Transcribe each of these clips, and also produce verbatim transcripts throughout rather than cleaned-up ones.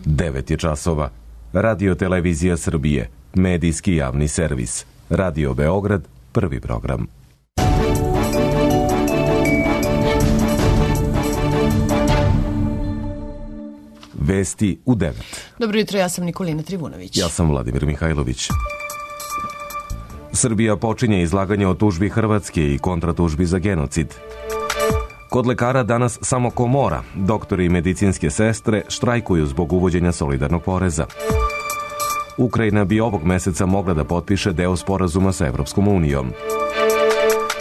devet je časova. Radio Televizija Srbije, medijski javni servis. Radio Beograd, prvi program. Vesti u devet. Dobro jutro, ja sam Nikolina Trivunović. Ja sam Vladimir Mihajlović. Srbija počinje izlaganje o tužbi Hrvatske i kontratužbi za genocid. Kod lekara danas samo komora. Doktori i medicinske sestre štrajkuju zbog uvođenja solidarnog poreza. Ukrajina bi ovog meseca mogla da potpiše deo sporazuma sa Evropskom unijom.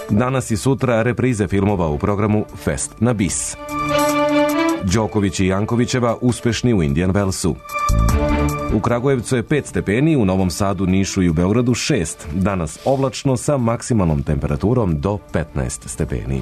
Danas i sutra reprize filmova u programu Fest na bis. Đoković i Jankovićeva uspešni u Indian Wellsu. U Kragujevcu je pet stepeni, u Novom Sadu, Nišu i u Beogradu šest. Danas oblačno sa maksimalnom temperaturom do petnaest stepeni.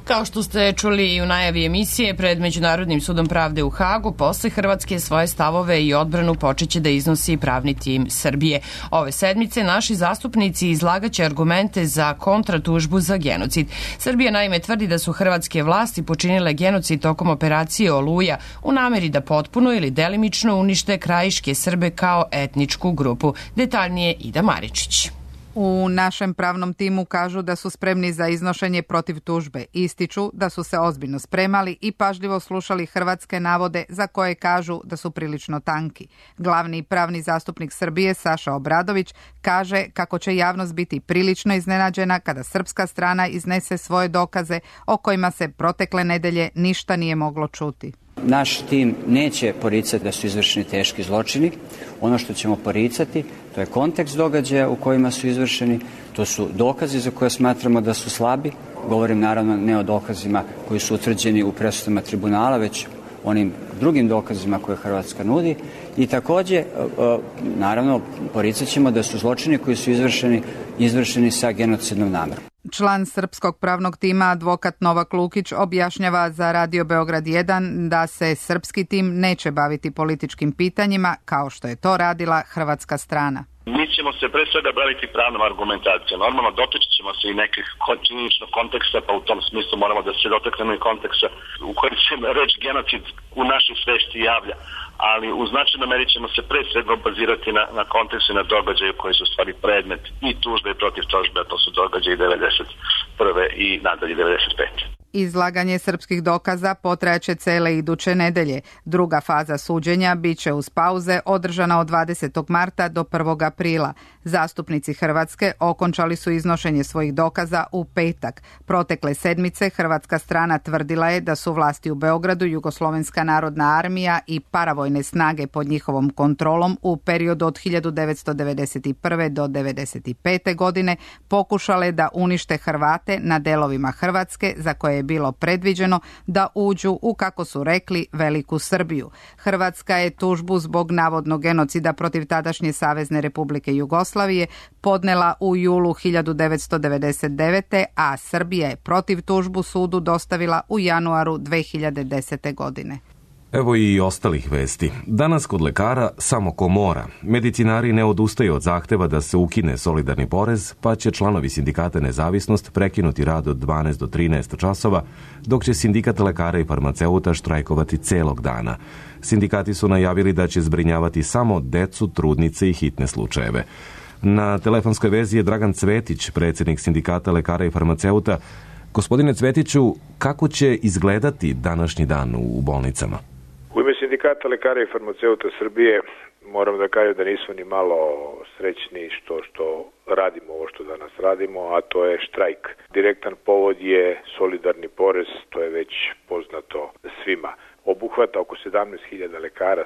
Kao što ste čuli i u najavi emisije, pred Međunarodnim sudom pravde u Hagu, posle Hrvatske svoje stavove i odbranu počeće da iznosi pravni tim Srbije. Ove sedmice naši zastupnici izlagaće argumente za kontratužbu za genocid. Srbija naime tvrdi da su hrvatske vlasti počinile genocid tokom operacije Oluja u nameri da potpuno ili delimično unište krajiške Srbe kao etničku grupu. Detaljnije Ida Maričić. U našem pravnom timu kažu da su spremni za iznošenje protiv tužbe. Ističu da su se ozbiljno spremali i pažljivo slušali hrvatske navode za koje kažu da su prilično tanki. Glavni pravni zastupnik Srbije Saša Obradović kaže kako će javnost biti prilično iznenađena kada srpska strana iznese svoje dokaze o kojima se protekle nedelje ništa nije moglo čuti. Naš tim neće poricati da su izvršeni teški zločini. Ono što ćemo poricati, to je kontekst događaja u kojima su izvršeni, to su dokazi za koje smatramo da su slabi. Govorim naravno ne o dokazima koji su utvrđeni u presudama tribunala, već onim drugim dokazima koje Hrvatska nudi. I takođe, naravno, poricat ćemo da su zločini koji su izvršeni, izvršeni sa genocidnom namerom. Član srpskog pravnog tima, advokat Novak Lukić, objašnjava za Radio Beograd jedan da se srpski tim neće baviti političkim pitanjima kao što je to radila hrvatska strana. Mi ćemo se pre svega baviti pravnom argumentacijom. Normalno dotaći ćemo se i nekih činjeničnog konteksta, pa u tom smislu moramo da se dotaknemo i konteksta u kojem se reč genocid u našoj svesti javlja. Ali u značajnoj meri ćemo se pre svega bazirati na, na kontekstu i na događaju koji su stvari predmet i tužbe i protiv tužbe, a to su događaji devedeset prve i nadalje devedeset pete. Izlaganje srpskih dokaza potrajaće cele iduće nedelje. Druga faza suđenja biće uz pauze održana od dvadesetog marta do prvog aprila. Zastupnici Hrvatske okončali su iznošenje svojih dokaza u petak. Protekle sedmice hrvatska strana tvrdila je da su vlasti u Beogradu, Jugoslovenska narodna armija i paravojne snage pod njihovom kontrolom u periodu od hiljadu devetsto devedeset prve do devedeset pete godine pokušale da unište Hrvate na delovima Hrvatske za koje je bilo predviđeno da uđu u, kako su rekli, Veliku Srbiju. Hrvatska je tužbu zbog navodnog genocida protiv tadašnje Savezne Republike Jugoslavije podnela u julu hiljadu devetsto devedeset devete. a Srbija je protiv tužbu sudu dostavila u januaru dve hiljade desete. godine. Evo i ostalih vesti. Danas kod lekara samo komora. Medicinari ne odustaju od zahteva da se ukine solidarni porez, pa će članovi sindikata Nezavisnost prekinuti rad od dvanaest do trinaest časova, dok će sindikat lekara i farmaceuta štrajkovati celog dana. Sindikati su najavili da će zbrinjavati samo decu, trudnice i hitne slučajeve. Na telefonskoj vezi je Dragan Cvetić, predsjednik sindikata lekara i farmaceuta. Gospodine Cvetiću, kako će izgledati današnji dan u bolnicama? U ime sindikata lekara i farmaceuta Srbije moram da kažem da nismo ni malo srećni što, što radimo ovo što danas radimo, a to je štrajk. Direktan povod je solidarni porez, to je već poznato svima. Obuhvata oko sedamnaest hiljada lekara,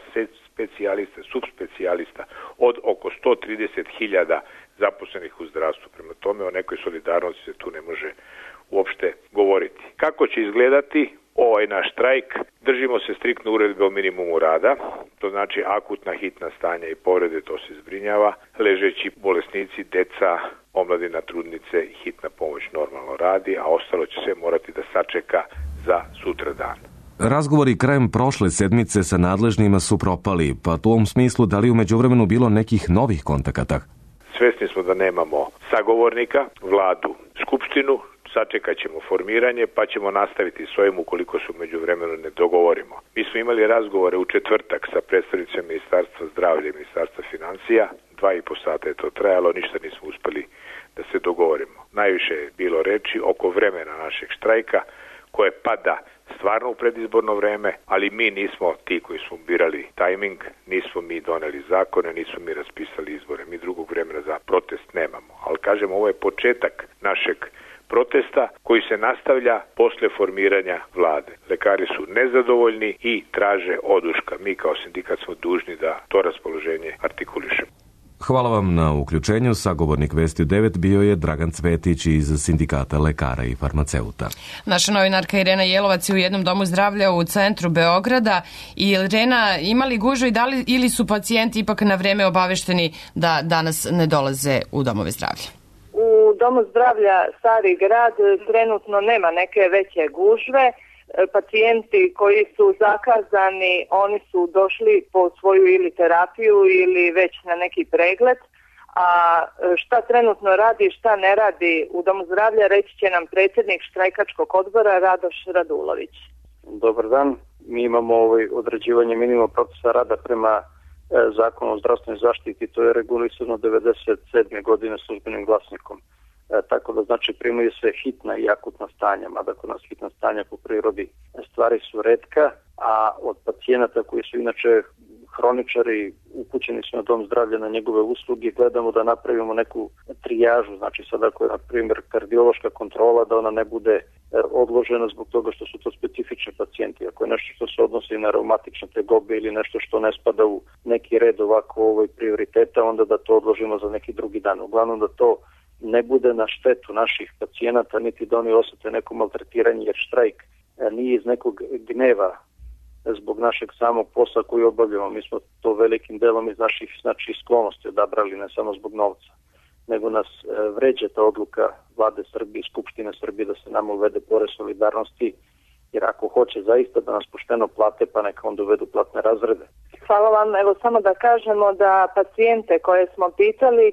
specijalista, subspecijalista, od oko sto trideset hiljada zaposlenih u zdravstvu. Prema tome o nekoj solidarnosti se tu ne može uopšte govoriti. Kako će izgledati ovaj naš štrajk? Držimo se striktno uredbe o minimumu rada, to znači akutna hitna stanja i povrede, to se zbrinjava, ležeći bolesnici, deca, omladina, trudnice i hitna pomoć normalno radi, a ostalo će se morati da sačeka za sutra dan. Razgovori krajem prošle sedmice sa nadležnima su propali, pa u tom smislu da li u međuvremenu bilo nekih novih kontakata? Svesni smo da nemamo sagovornika, vladu, skupštinu, sačekat ćemo formiranje pa ćemo nastaviti s ovim ukoliko se u međuvremenu ne dogovorimo. Mi smo imali razgovore u četvrtak sa predstavnicima Ministarstva zdravlja i Ministarstva financija, dva i po sata je to trajalo, ništa nismo uspeli da se dogovorimo. Najviše je bilo reči oko vremena našeg štrajka koje pada stvarno u predizborno vreme, ali mi nismo ti koji smo birali tajming, nismo mi doneli zakone, nismo mi raspisali izbore, mi drugog vremena za protest nemamo. Ali kažem, ovo je početak našeg protesta koji se nastavlja posle formiranja vlade. Lekari su nezadovoljni i traže oduška. Mi kao sindikat smo dužni da to raspoloženje artikulišemo. Hvala vam na uključenju. Sagovornik Vesti u devet bio je Dragan Cvetić iz Sindikata lekara i farmaceuta. Naša novinarka Irena Jelovac je u jednom domu zdravlja u centru Beograda. I Irena, ima li gužve i da li ili su pacijenti ipak na vreme obavešteni da danas ne dolaze u domove zdravlja? U domu zdravlja Stari grad trenutno nema neke veće gužve. Pacijenti koji su zakazani, oni su došli po svoju ili terapiju ili već na neki pregled, a šta trenutno radi, šta ne radi u domu zdravlja, reći će nam predsjednik štrajkačkog odbora Radoš Radulović. Dobar dan, mi imamo ovaj određivanje minimuma procesa rada prema e, zakonu o zdravstvenoj zaštiti, to je regulisano devedeset sedme godine službenim glasnikom. E, tako da znači primaju se hitna i akutna stanja, mada kod nas hitna stanja po prirodi stvari su retka, a od pacijenata koji su inače hroničari upućeni su na dom zdravlja na njegove usluge, gledamo da napravimo neku trijažu, znači sada ako je na primjer kardiološka kontrola da ona ne bude odložena zbog toga što su to specifični pacijenti, ako je nešto što se odnosi na reumatične tegobe ili nešto što ne spada u neki red ovako ovoj prioriteta, onda da to odložimo za neki drugi dan. Uglavnom da to ne bude na štetu naših pacijenata, niti da oni osjete neko maltretiranje, jer štrajk nije iz nekog gneva zbog našeg samog posla koji obavljamo. Mi smo to velikim delom iz naših znači, sklonosti odabrali, ne samo zbog novca, nego nas vređa ta odluka Vlade Srbije i Skupštine Srbije da se nama uvede porez solidarnosti, jer ako hoće zaista da nas pošteno plate, pa neka onda uvedu platne razrede. Hvala vam. Evo samo da kažemo da pacijente koje smo pitali,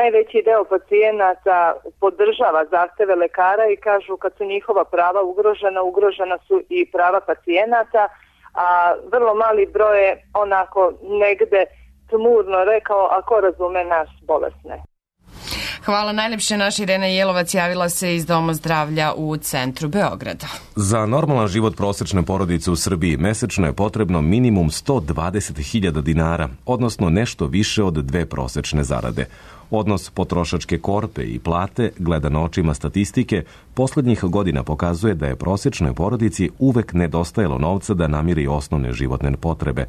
najveći deo pacijenata podržava zahteve lekara i kažu kad su njihova prava ugrožena, ugrožena su i prava pacijenata, a vrlo mali broj je onako negde tmurno rekao, ako razume nas bolesne. Hvala najlepše. Naša Irena Jelovac javila se iz Doma zdravlja u centru Beograda. Za normalan život prosečne porodice u Srbiji mesečno je potrebno minimum sto dvadeset hiljada dinara, odnosno nešto više od dve prosečne zarade. Odnos potrošačke korpe i plate, gledano očima statistike, poslednjih godina pokazuje da je prosečnoj porodici uvek nedostajalo novca da namiri osnovne životne potrebe.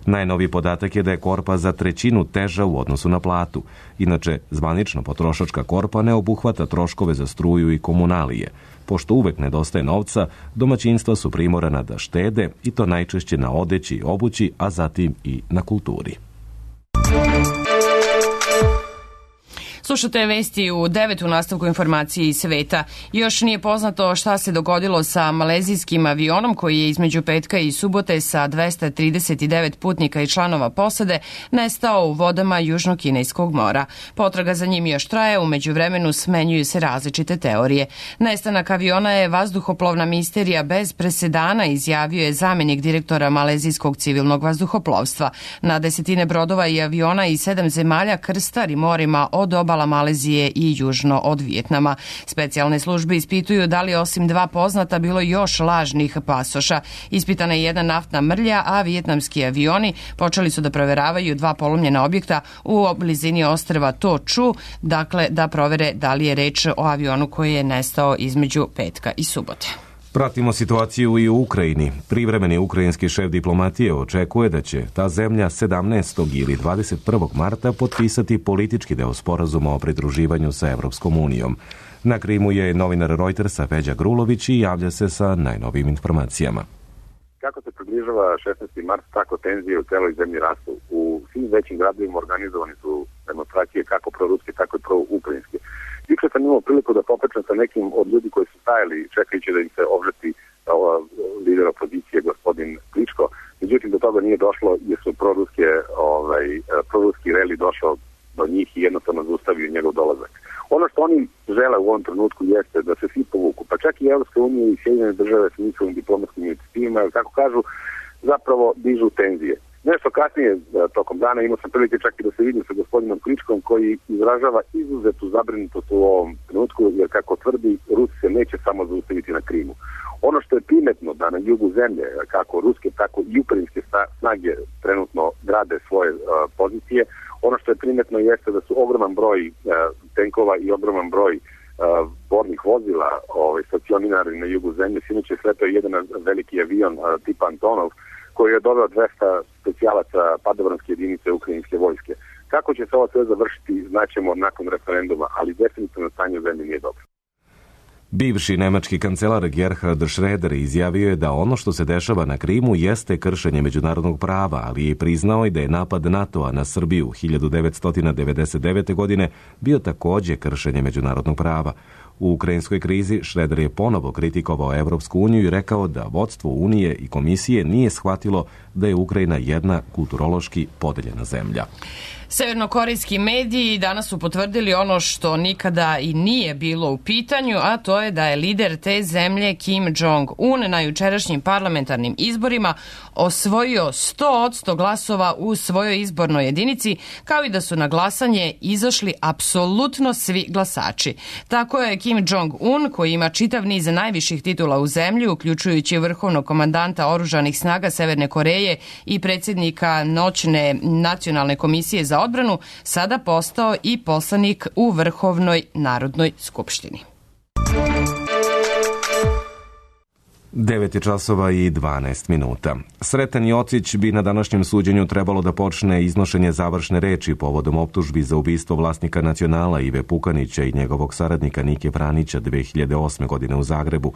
Najnoviji podatak je da je korpa za trećinu teža u odnosu na platu. Inače, zvanična potrošačka korpa ne obuhvata troškove za struju i komunalije. Pošto uvek nedostaje novca, domaćinstva su primorana da štede i to najčešće na odeći i obući, a zatim i na kulturi. Slušate vesti u devet u nastavku informacije iz sveta. Još nije poznato šta se dogodilo sa malezijskim avionom koji je između petka i subote sa dvesta trideset devet putnika i članova posade nestao u vodama Južnog Kineskog mora. Potraga za njim još traje, u međuvremenu smenjuju se različite teorije. Nestanak aviona je vazduhoplovna misterija bez presedana, izjavio je zamenik direktora malezijskog civilnog vazduhoplovstva. Na desetine brodova i aviona i sedam zemalja krstari morima od obala Malezije i južno od Vijetnama. Specijalne službe ispituju da li osim dva poznata bilo još lažnih pasoša. Ispitana je jedna naftna mrlja, a vijetnamski avioni počeli su da proveravaju dva polomljena objekta u blizini ostrva To Chu, dakle da provere da li je reč o avionu koji je nestao između petka i subote. Pratimo situaciju i u Ukrajini. Privremeni ukrajinski šef diplomatije očekuje da će ta zemlja sedamnaestog ili dvadeset prvog marta potpisati politički deo sporazuma o pridruživanju sa Evropskom unijom. Na Krimu je novinar Reutersa Feđa Grulović i javlja se sa najnovijim informacijama. Kako se približava šesnaesti mart, tako tenzije u celoj zemlji rastu. U svim većim gradovima organizovani su demonstracije kako proruske, tako i proukrajinske. Juče sam imao priliku da popričam sa nekim od ljudi koji su stajali čekajući da im se obžeti lider opozicije, gospodin Kličko. Međutim, do toga nije došlo jer su proruske, ovaj, proruski reli došao do njih i jednostavno zaustavio njegov dolazak. Ono što oni žele u ovom trenutku jeste da se svi povuku države sa njihovim diplomatskim inicijativima, jer kako kažu, zapravo dižu tenzije. Nešto kasnije tokom dana imao sam prilike čak i da se vidim sa gospodinom Kličkom koji izražava izuzetu zabrinutost u ovom trenutku, jer kako tvrdi, Rusi se neće samo zaustaviti na Krimu. Ono što je primetno da na jugu zemlje, kako ruske, tako i ukrajinske snage trenutno grade svoje uh, pozicije, ono što je primetno jeste da su ogroman broj uh, tenkova i ogroman broj uh, bornih vozila ovaj, stacionirani na jugu zemlje. Sinoć je sletao jedan veliki avion uh, tipa Antonov, koji je doveo dvesta specijalaca padobranske jedinice ukrajinske vojske. Kako će se ovo sve završiti, znaćemo nakon referenduma, ali definitivno stanje u zemlji nije dobro. Bivši nemački kancelar Gerhard Schröder izjavio je da ono što se dešava na Krimu jeste kršenje međunarodnog prava, ali je priznao i da je napad NATO-a na Srbiju hiljadu devetsto devedeset devete. godine bio takođe kršenje međunarodnog prava. U ukrajinskoj krizi Schröder je ponovo kritikovao Evropsku uniju i rekao da vodstvo Unije i komisije nije shvatilo da je Ukrajina jedna kulturološki podeljena zemlja. Severnokorejski mediji danas su potvrdili ono što nikada i nije bilo u pitanju, a to je da je lider te zemlje Kim Jong-un na jučerašnjim parlamentarnim izborima osvojio sto posto glasova u svojoj izbornoj jedinici, kao i da su na glasanje izašli apsolutno svi glasači. Tako je Kim Jong-un, koji ima čitav niz najviših titula u zemlji, uključujući vrhovnog komandanta oružanih snaga Severne Koreje i predsjednika noćne nacionalne komisije za odbranu, sada postao i poslanik u Vrhovnoj narodnoj skupštini. devet je časova i dvanaest minuta. Sreten Jocić bi na današnjem suđenju trebalo da počne iznošenje završne reči povodom optužbi za ubistvo vlasnika Nacionala Ive Pukanića i njegovog saradnika Nike Vranića dve hiljade osme. godine u Zagrebu.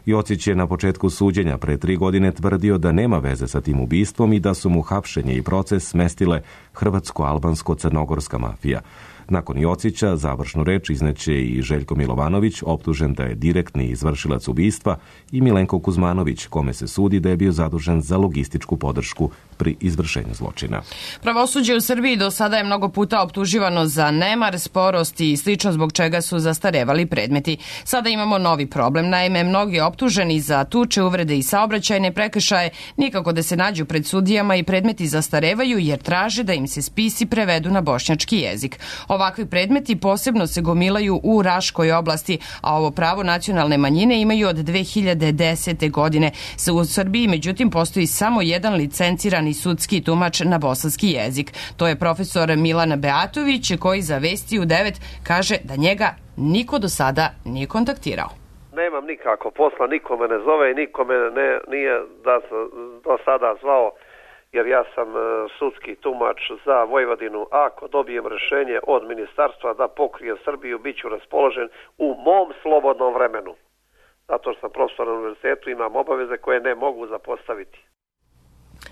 Jocić je na početku suđenja pre tri godine tvrdio da nema veze sa tim ubistvom i da su mu hapšenje i proces smestile hrvatsko-albansko-crnogorska mafija. Nakon Jocića završnu reč izneće i Željko Milovanović, optužen da je direktni izvršilac ubistva, i Milenko Kuzmanović, kome se sudi da je bio zadužen za logističku podršku pri izvršenju zločina. Pravosuđe u Srbiji do sada je mnogo puta optuživano za nemar, sporost i slično, zbog čega su zastarevali predmeti. Sada imamo novi problem. Naime, mnogi optuženi za tuče, uvrede i saobraćajne prekršaje nikako da se nađu pred sudijama i predmeti zastarevaju jer traže da im se spisi prevedu na bošnjački jezik. Ovakvi predmeti posebno se gomilaju u Raškoj oblasti, a ovo pravo nacionalne manjine imaju od dve hiljade desete. godine. U Srbiji, međutim, postoji samo jedan licencirani sudski tumač na bosanski jezik. To je profesor Milan Beatović, koji za Vesti u devet kaže da njega niko do sada nije kontaktirao. Nemam nikako posla, niko me ne zove i niko me ne, nije da do sada zvao, jer ja sam sudski tumač za Vojvodinu. Ako dobijem rješenje od ministarstva da pokrijem Srbiju, bit ću raspoložen u mom slobodnom vremenu. Zato što sam profesor na univerzitetu, imam obaveze koje ne mogu zapostaviti.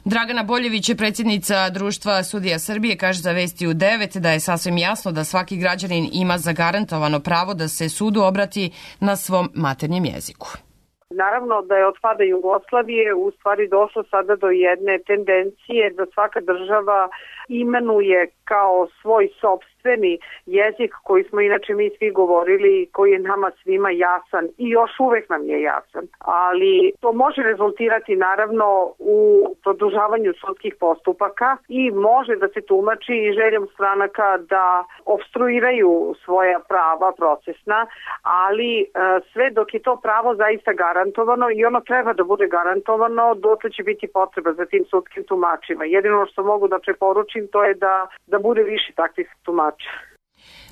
Dragana Boljević je predsjednica Društva sudija Srbije, kaže za Vesti u devet da je sasvim jasno da svaki građanin ima zagarantovano pravo da se sudu obrati na svom maternjem jeziku. Naravno da je od pada Jugoslavije u stvari došlo sada do jedne tendencije da svaka država imenuje kao svoj sopstveni jezik koji smo inače mi svi govorili, koji je nama svima jasan i još uvek nam je jasan. Ali to može rezultirati naravno u produžavanju sudskih postupaka i može da se tumači i željom stranaka da obstruiraju svoja prava procesna, ali sve dok je to pravo zaista garantovano i ono treba da bude garantovano, dotle će biti potreba za tim sudskim tumačima. Jedino što mogu da preporučim to je da, da bude više takvih tumača.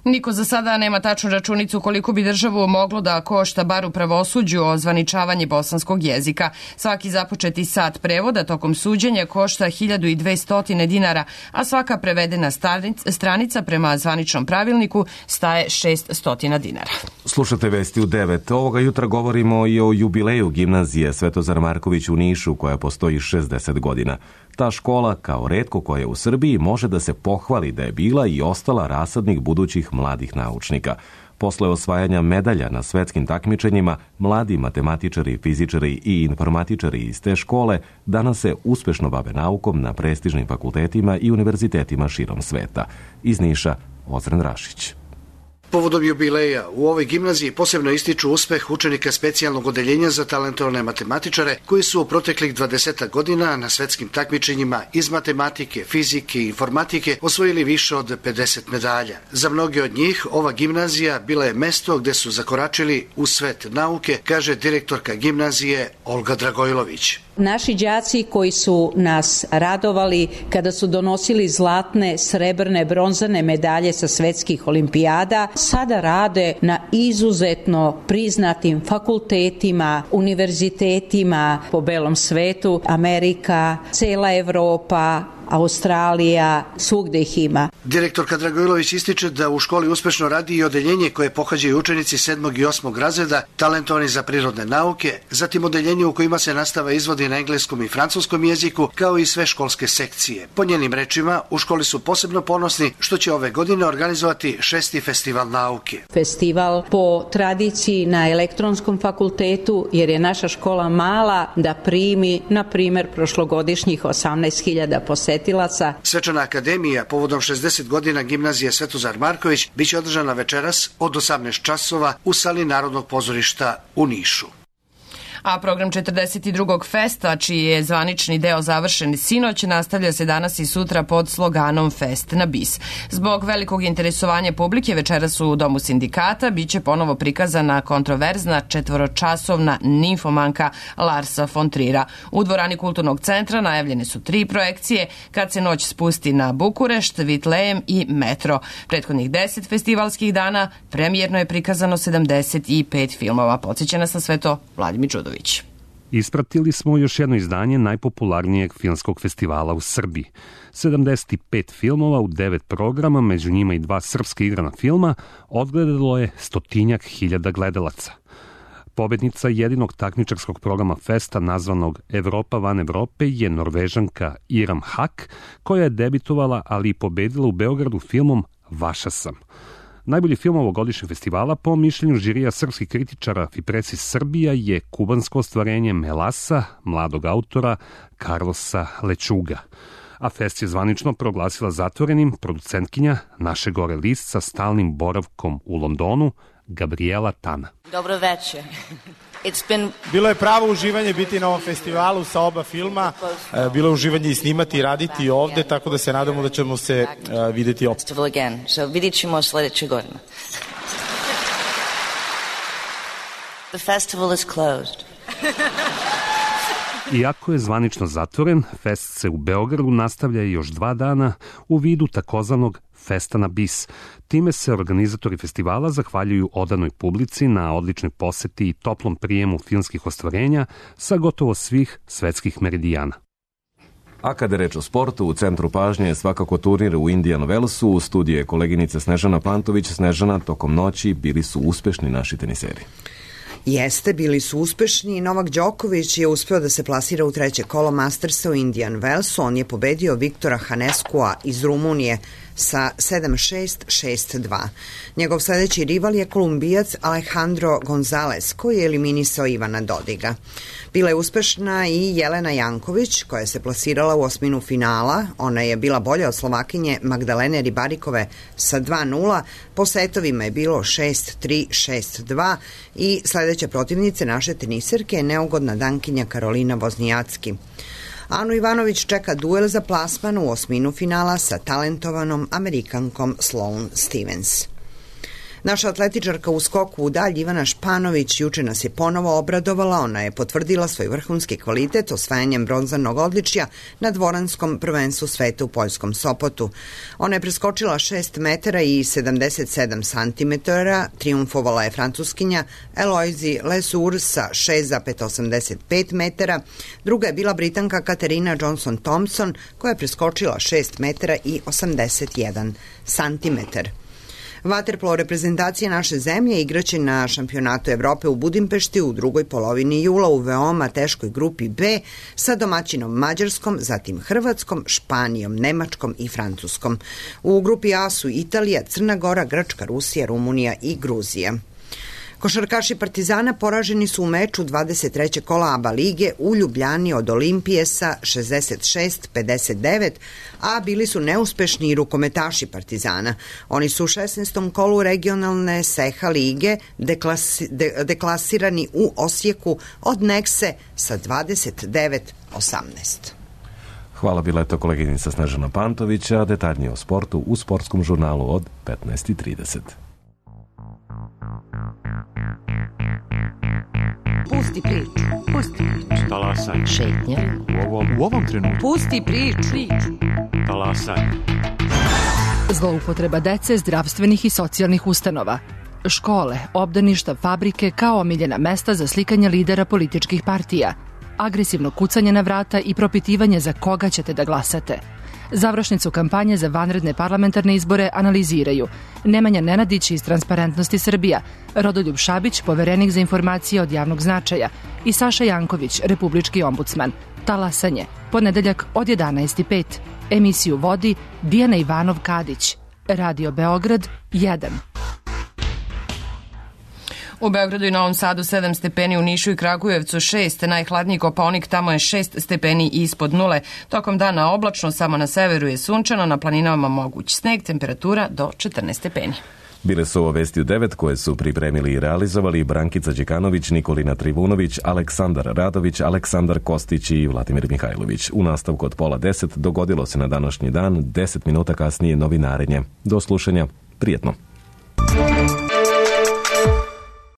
Niko za sada nema tačnu računicu koliko bi državu moglo da košta bar u pravosuđu ozvaničavanje bosanskog jezika. Svaki započeti sat prevoda tokom suđenja košta hiljadu dvesta dinara, a svaka prevedena stranica prema zvaničnom pravilniku staje šeststo dinara. Slušate Vesti u devet. Ovoga jutra govorimo i o jubileju gimnazije Svetozar Marković u Nišu, koja postoji šezdeset godina. Ta škola, kao retko koja u Srbiji, može da se pohvali da je bila i ostala rasadnik budućih mladih naučnika. Posle osvajanja medalja na svetskim takmičenjima, mladi matematičari, fizičari i informatičari iz te škole danas se uspešno bave naukom na prestižnim fakultetima i univerzitetima širom sveta. Iz Niša, Ozren Rašić. Povodom jubileja u ovoj gimnaziji posebno ističu uspeh učenika specijalnog odeljenja za talentovane matematičare koji su u proteklih dvadeset godina na svetskim takmičenjima iz matematike, fizike i informatike osvojili više od pedeset medalja. Za mnoge od njih ova gimnazija bila je mesto gde su zakoračili u svet nauke, kaže direktorka gimnazije Olga Dragojlović. Naši đaci koji su nas radovali kada su donosili zlatne, srebrne, bronzane medalje sa svetskih olimpijada, sada rade na izuzetno priznatim fakultetima, univerzitetima po belom svetu, Amerika, cela Evropa, Australija, svugde ih ima. Direktorka Dragojlović ističe da u školi uspešno radi i odeljenje koje pohađaju učenici sedmog i osmog razreda, talentovani za prirodne nauke, zatim odeljenje u kojima se nastava izvodi na engleskom i francuskom jeziku, kao i sve školske sekcije. Po njenim rečima, u školi su posebno ponosni što će ove godine organizovati šesti festival nauke. Festival po tradiciji na elektronskom fakultetu, jer je naša škola mala da primi, na primer, prošlogodišnjih osamnaest hiljada posetilaca. Svečana akademija povodom šezdeset godina gimnazije Svetozar Marković biće održana večeras od osamnaest časova u sali Narodnog pozorišta u Nišu. A program četrdeset drugog festa, čiji je zvanični deo završen sinoć, nastavlja se danas i sutra pod sloganom Fest na bis. Zbog velikog interesovanja publike večeras u Domu sindikata biće ponovo prikazana kontroverzna četvoročasovna nimfomanka Larsa von Trira. U dvorani Kulturnog centra najavljene su tri projekcije, Kad se noć spusti na Bukurešt, Vitlejem i Metro. Prethodnih deset festivalskih dana premijerno je prikazano sedamdeset pet filmova. Podsjeća nas na sve to Vladimir Đudović. Ispratili smo još jedno izdanje najpopularnijeg filmskog festivala u Srbiji. sedamdeset pet filmova u devet programa, među njima i dva srpska igrana filma, odgledalo je stotinjak hiljada gledalaca. Pobednica jedinog takmičarskog programa festa nazvanog Evropa van Evrope je Norvežanka Iram Hak, koja je debitovala, ali i pobedila u Beogradu filmom Vaša sam. Najbolji film ovogodišnjeg festivala, po mišljenju žirija srpskih kritičara Fipresis Srbija, je kubansko ostvarenje Melasa, mladog autora Carlosa Lečuga. A fest je zvanično proglasila zatvorenim producentkinja Naše gore list sa stalnim boravkom u Londonu, Gabriela Tana. Dobro večer. Been... Bilo je pravo uživanje biti na ovom festivalu sa oba filma. Bilo je uživanje i snimati i raditi ovde, tako da se nadamo da ćemo se uh, videti opet. So, vidit ćemo sledeće godine. The festival is closed. Iako je zvanično zatvoren, fest se u Beogradu nastavlja još dva dana u vidu takozvanog Festa na bis. Time se organizatori festivala zahvaljuju odanoj publici na odličnoj poseti i toplom prijemu filmskih ostvarenja sa gotovo svih svetskih meridijana. A kada je reč o sportu, u centru pažnje je svakako turnir u Indian Wellsu. U studiju je koleginica Snežana Pantović. Snežana, tokom noći bili su uspešni naši teniseri. Jeste, bili su uspešni. Novak Đoković je uspeo da se plasira u treće kolo Mastersa u Indian Wellsu. On je pobedio Viktora Haneskua iz Rumunije sa sedam šest, šest dva. Njegov sledeći rival je Kolumbijac Alejandro Gonzalez, koji je eliminisao Ivana Dodiga. Bila je uspešna i Jelena Janković, koja se plasirala u osminu finala. Ona je bila bolja od Slovakinje Magdalene Ribarikove sa dva nula. Po setovima je bilo šest tri, šest dva i sledeća protivnice naše teniserke je neugodna Dankinja Karolina Voznijacki. Anu Ivanović čeka duel za plasman u osminu finala sa talentovanom Amerikankom Sloane Stevens. Naša atletičarka u skoku u dalj Ivana Španović juče nas je ponovo obradovala. Ona je potvrdila svoj vrhunski kvalitet osvajanjem bronzanog odličja na dvoranskom prvenstvu sveta u poljskom Sopotu. Ona je preskočila šest metara i sedamdeset sedam santimetara, triumfovala je francuskinja Eloise Lesour sa šest zarez osamdeset pet metara, druga je bila Britanka Katerina Johnson-Thompson koja je preskočila šest metara i osamdeset jedan santimetar. Vaterpolo reprezentacija naše zemlje igraće na šampionatu Evrope u Budimpešti u drugoj polovini jula u veoma teškoj grupi B sa domaćinom Mađarskom, zatim Hrvatskom, Španijom, Nemačkom i Francuskom. U grupi A su Italija, Crna Gora, Grčka, Rusija, Rumunija i Gruzija. Košarkaši Partizana poraženi su u meču dvadeset trećeg kola ABA lige u Ljubljani od Olimpije sa šezdeset šest pedeset devet, a bili su neuspešni i rukometaši Partizana. Oni su u šesnaestom kolu regionalne Seha lige deklasi, de, deklasirani u Osijeku od Nekse sa dvadeset devet osamnaest. Hvala, bila je to koleginica Snežana Pantovića, detaljnije o sportu u sportskom žurnalu od petnaest i trideset. Pusti priču, pusti priču. Talasaj. Šetnja. U ovom, u ovom trenutku. Pusti priču. priču. Talasaj. Zloupotreba dece zdravstvenih i socijalnih ustanova. Škole, obdaništa, fabrike kao omiljena mesta za slikanje lidera političkih partija. Agresivno kucanje na vrata i propitivanje za koga ćete da glasate. Završnicu kampanje za vanredne parlamentarne izbore analiziraju Nemanja Nenadić iz Transparentnosti Srbija, Rodoljub Šabić, poverenik za informacije od javnog značaja i Saša Janković, republički ombudsman. Talasanje, ponedeljak od jedanaest i pet. Emisiju vodi Dijana Ivanov-Kadić. Radio Beograd jedan. U Beogradu i Novom Sadu sedam stepeni, u Nišu i Kragujevcu šest, najhladniji Kopaonik, tamo je šest stepeni ispod nule. Tokom dana oblačno, samo na severu je sunčano, na planinama moguć sneg, temperatura do četrnaest stepeni. Bile su ovo vesti u devet koje su pripremili i realizovali Brankica Đekanović, Nikolina Trivunović, Aleksandar Radović, Aleksandar Kostić i Vladimir Mihajlović. U nastavku od pola deset dogodilo se na današnji dan, deset minuta kasnije novinarenje. Do slušanja, prijetno.